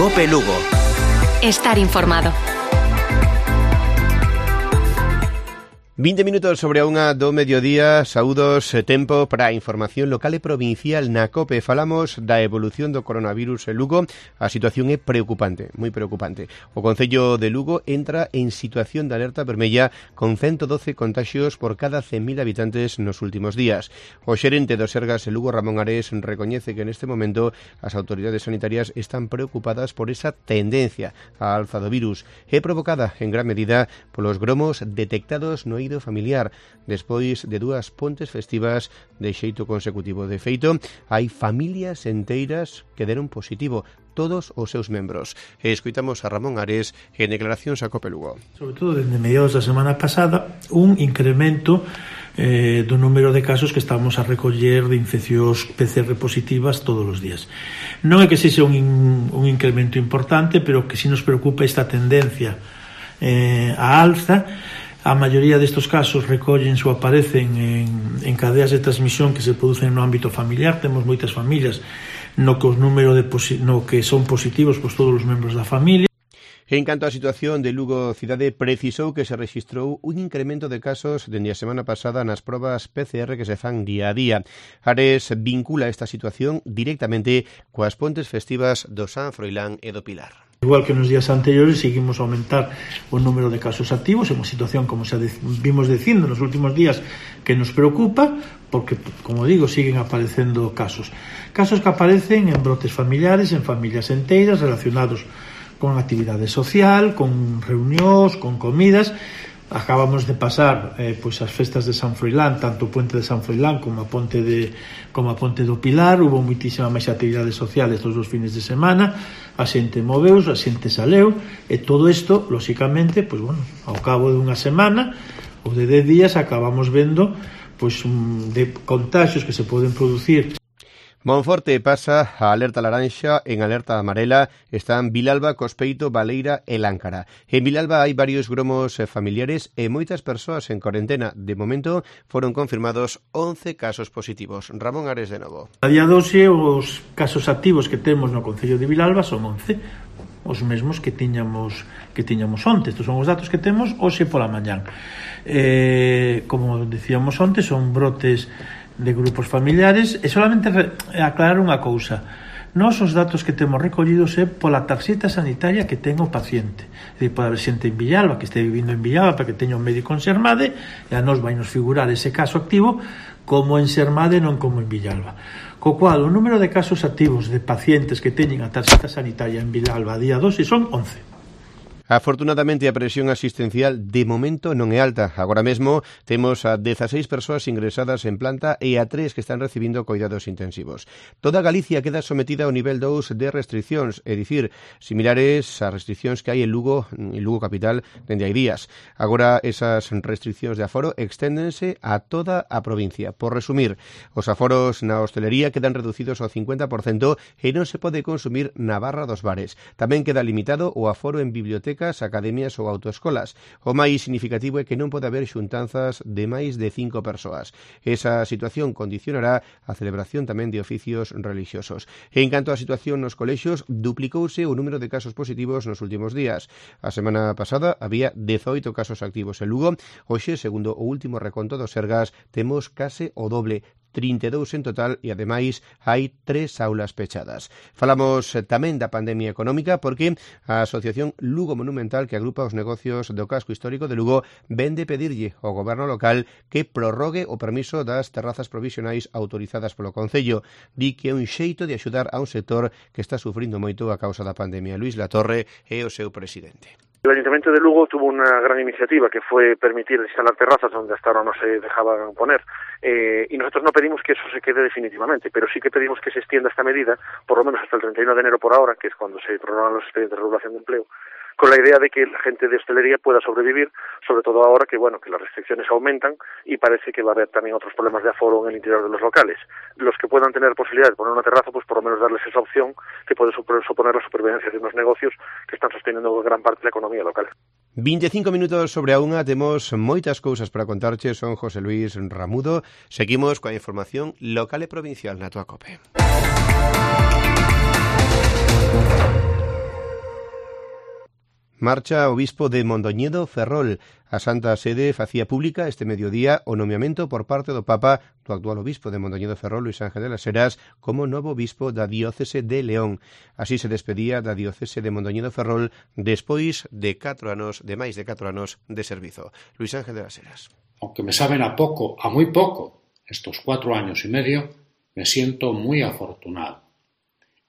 COPE Lugo. Estar informado. 20 minutos sobre a unha do mediodía. Saúdos, tempo para a información local e provincial na COPE. Falamos da evolución do coronavirus en Lugo. A situación é preocupante, moi preocupante. O Concello de Lugo entra en situación de alerta vermella con 112 contaxios por cada 100.000 habitantes nos últimos días. O xerente do Sergas en Lugo, Ramón Ares, recoñece que neste momento as autoridades sanitarias están preocupadas por esa tendencia á alza do virus. É provocada en gran medida polos gromos detectados no eido familiar despois de dúas pontes festivas de xeito consecutivo. De feito, hai familias enteiras que deron positivo, todos os seus membros. Escoitamos a Ramón Ares en declaracións a COPE Lugo. Sobre todo, desde mediados da semana pasada, un incremento do número de casos que estamos a recoller de infeccións PCR positivas todos os días. Non é que sexa un incremento importante, pero que si nos preocupa esta tendencia a alza. A maioría destes casos recóllense ou aparecen en cadeas de transmisión que se producen no ámbito familiar. Temos moitas familias no que os números no que son positivos pois todos os membros da familia. En canto á situación de Lugo cidade, precisou que se rexistrou un incremento de casos dende a semana pasada nas probas PCR que se fan día a día. Ares vincula esta situación directamente coas pontes festivas do San Froilán e do Pilar. Igual que nos días anteriores, seguimos a aumentar o número de casos activos, é unha situación, como xa vimos dicindo nos últimos días, que nos preocupa, porque, como digo, siguen aparecendo casos que aparecen en brotes familiares, en familias enteiras, relacionados con actividade social, con reunións, con comidas. Acabamos de pasar pois as festas de San Froilán, tanto o puente de San Froilán como a ponte do Pilar. Hubo moitísima máis actividades sociales todos os fines de semana, a xente moveus, a xente saleu, e todo isto, lóxicamente, pois bueno, ao cabo de unha semana ou de 10 días acabamos vendo pois de contagios que se poden producir. Monforte pasa a alerta laranxa, en alerta amarela están Vilalba, Cospeito, Baleira e Láncara. En Vilalba hai varios gromos familiares e moitas persoas en cuarentena. De momento foron confirmados 11 casos positivos. Ramón Ares de novo. A día 12 os casos activos que temos no Concello de Vilalba son 11, os mesmos que tiñamos onte. Estos son os datos que temos hoxe pola mañán. Como decíamos onte, son brotes de grupos familiares, e solamente aclarar unha cousa: nós os datos que temos recollidos é pola tarxeta sanitaria que ten o paciente. É dicir, pode haber xente en Villalba que este vivindo en Villalba para que teña un médico en Sermade, e a nós vai nos figurar ese caso activo como en Sermade, non como en Villalba. Co cual, o número de casos activos de pacientes que teñen a tarxeta sanitaria en Villalba a día 12 son 11. Afortunadamente, a presión asistencial de momento non é alta. Agora mesmo temos a 16 persoas ingresadas en planta e a 3 que están recibindo cuidados intensivos. Toda Galicia queda sometida ao nivel 2 de restriccións, é dicir, similares ás restriccións que hai en Lugo capital dende hai días. Agora esas restriccións de aforo exténdense a toda a provincia. Por resumir, os aforos na hostelería quedan reducidos ao 50% e non se pode consumir na barra dos bares. Tamén queda limitado o aforo en bibliotecas, academias ou autoescolas. O máis significativo é que non pode haber xuntanzas de máis de 5 persoas. Esa situación condicionará a celebración tamén de oficios relixiosos. En canto á situación nos colexios, duplicouse o número de casos positivos nos últimos días. A semana pasada había 18 casos activos en Lugo. Hoxe, segundo o último reconto do Sergas, temos case o doble, 32 en total, e ademais hai 3 aulas pechadas. Falamos tamén da pandemia económica porque a Asociación Lugo Monumental, que agrupa os negocios do casco histórico de Lugo, vende pedirlle ao goberno local que prorrogue o permiso das terrazas provisionais autorizadas polo Concello. Di que é un xeito de axudar a un sector que está sufrindo moito a causa da pandemia. Luís Latorre é o seu presidente. El Ayuntamiento de Lugo tuvo una gran iniciativa que fue permitir instalar terrazas donde hasta ahora no se dejaban poner, y nosotros no pedimos que eso se quede definitivamente, pero sí que pedimos que se extienda esta medida por lo menos hasta el 31 de enero por ahora, que es cuando se prorrogan los expedientes de regulación de empleo, con la idea de que la gente de hostelería pueda sobrevivir, sobre todo ahora que bueno que las restricciones aumentan y parece que va a haber también otros problemas de aforo en el interior de los locales. Los que puedan tener posibilidad de poner una terraza, pues por lo menos darles esa opción que puede suponer la supervivencia de unos negocios que están sosteniendo gran parte de la economía local. 25 minutos sobre a unha, temos moitas cousas para contarche. Son José Luis Ramudo. Seguimos coa información local e provincial na túa COPE. Marcha o bispo de Mondoñedo Ferrol. A Santa Sede facía pública este mediodía o nomeamento por parte do Papa do actual obispo de Mondoñedo Ferrol, Luís Ángel de las Heras, como novo bispo da diócese de León. Así se despedía da diócese de Mondoñedo Ferrol despois de máis de 4 anos de servizo. Luís Ángel de las Heras. Aunque me saben a muy poco, estos 4 años y medio, me siento muy afortunado.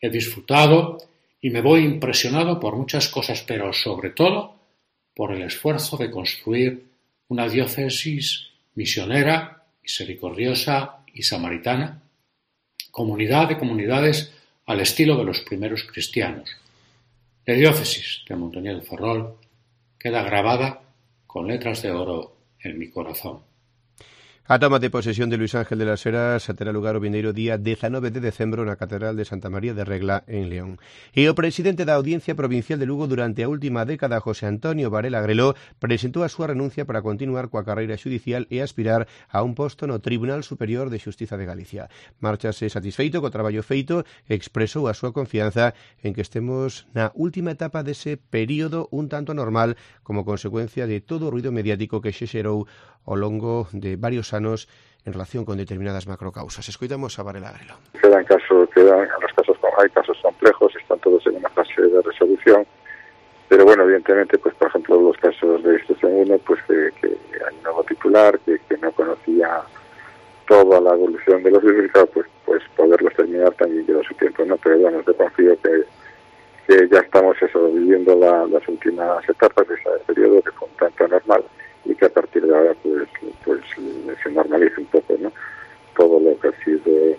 He disfrutado y me voy impresionado por muchas cosas, pero sobre todo por el esfuerzo de construir una diócesis misionera, misericordiosa y samaritana, comunidad de comunidades al estilo de los primeros cristianos. La diócesis de Mondoñedo Ferrol queda grabada con letras de oro en mi corazón. A toma de posesión de Luís Ángel de las Heras terá lugar o vindeiro día 19 de decembro na Catedral de Santa María de Regla en León. E o presidente da Audiencia Provincial de Lugo durante a última década, José Antonio Varela Agreló, presentou a súa renuncia para continuar coa carreira xudicial e aspirar a un posto no Tribunal Superior de Xustiza de Galicia. Márchase satisfeito co traballo feito e expresou a súa confianza en que estemos na última etapa dese período un tanto normal como consecuencia de todo o ruido mediático que se xerou ao longo de varios anos en relación con determinadas macrocausas. Escoitamos a Varela Agreló. Hay casos complejos, están todos en una fase de resolución, pero bueno, evidentemente, pues por ejemplo, los casos de Instrucción 1, pues que hay un nuevo titular que no conocía toda la evolución de los libros, pues poderlos terminar también lleva su tiempo, ¿no? Pero bueno, yo confío que ya estamos viviendo las últimas etapas de ese periodo que fue un tanto normal y que a partir de ahora pues se normalice un poco, ¿no? Todo lo que ha sido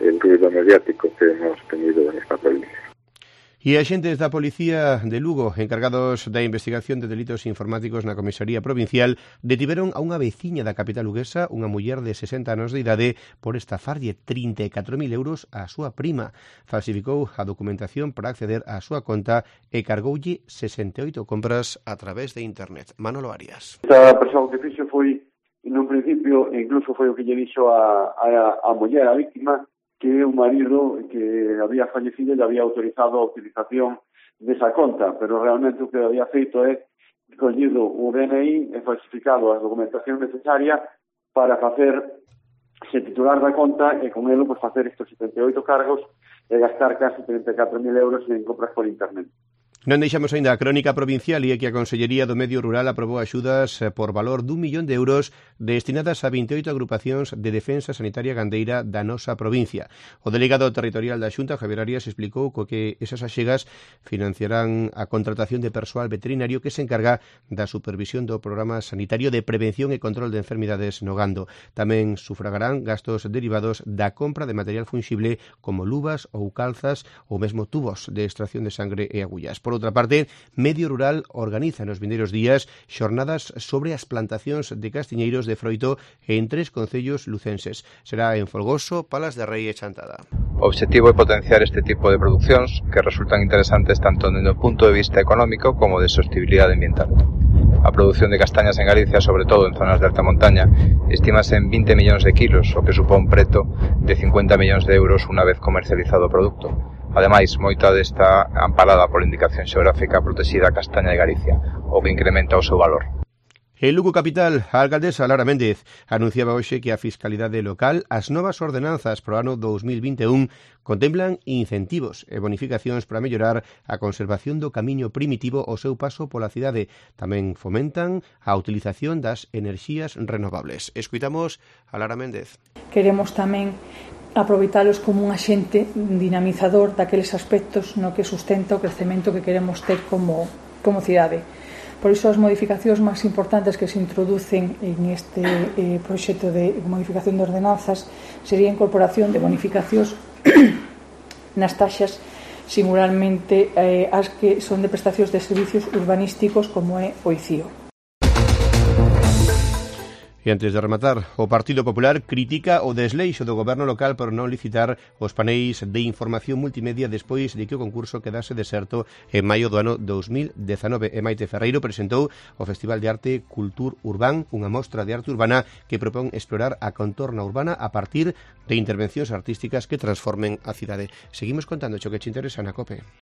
el ruido mediático que hemos tenido en esta provincia. E axentes da Policía de Lugo, encargados da investigación de delitos informáticos na Comisaría Provincial, detiveron a unha veciña da capital luguesa, unha muller de 60 anos de idade, por estafarlle 34.000 euros á súa prima. Falsificou a documentación para acceder á súa conta e cargoulle 68 compras a través de internet. Manolo Arias. Esta persoa que fixo foi, nun principio, incluso foi o que lle dixo a muller, a víctima, que o marido que había fallecido lle había autorizado a utilización desa conta, pero realmente o que había feito é collido o DNI e falsificado a documentación necesaria para facerse titular da conta e con elo pues, facer estes 78 cargos e gastar casi 34.000 euros en compras por internet. Non deixamos aínda a crónica provincial e é que a Consellería do Medio Rural aprobou axudas por valor d'1 millón de euros destinadas a 28 agrupacións de defensa sanitaria gandeira da nosa provincia. O delegado territorial da Xunta, Javier Arias, explicou que esas achegas financiarán a contratación de persoal veterinario que se encarga da supervisión do programa sanitario de prevención e control de enfermidades no gando. Tamén sufragarán gastos derivados da compra de material funxible como luvas ou calzas ou mesmo tubos de extracción de sangre e agullas. Por outra parte, Medio Rural organiza nos vindeiros días xornadas sobre as plantacións de castiñeiros de froito en 3 concellos lucenses. Será en Folgoso, Palas de Rei e Chantada. O obxectivo é potenciar este tipo de producións que resultan interesantes tanto desde o punto de vista económico como de sostenibilidade ambiental. A produción de castañas en Galicia, sobre todo en zonas de alta montaña, estímase en 20 millóns de kilos, o que supón preto de 50 millóns de euros unha vez comercializado o produto. Ademais, moita desta amparada pola indicación xeográfica protexida castaña de Galicia, o que incrementa o seu valor. En Lugo capital, a alcaldesa Lara Méndez anunciaba hoxe que a Fiscalidade Local as novas ordenanzas para o ano 2021 contemplan incentivos e bonificacións para mellorar a conservación do camiño primitivo ao seu paso pola cidade. Tamén fomentan a utilización das enerxías renovables. Escuitamos a Lara Méndez. Queremos tamén aproveitalos como un axente dinamizador daqueles aspectos no que sustenta o crecemento que queremos ter como cidade. Por iso as modificacións máis importantes que se introducen en este proxecto de modificación de ordenanzas sería a incorporación de bonificacións nas taxas singularmente as que son de prestacións de servicios urbanísticos como é o ICIO. E antes de rematar, o Partido Popular critica o desleixo do goberno local por non licitar os paneis de información multimedia despois de que o concurso quedase deserto en maio do ano 2019. E Maite Ferreiro presentou o Festival de Arte Cultur Urbán, unha mostra de arte urbana que propón explorar a contorna urbana a partir de intervencións artísticas que transformen a cidade. Seguimos contando cho que che interesa na COPE.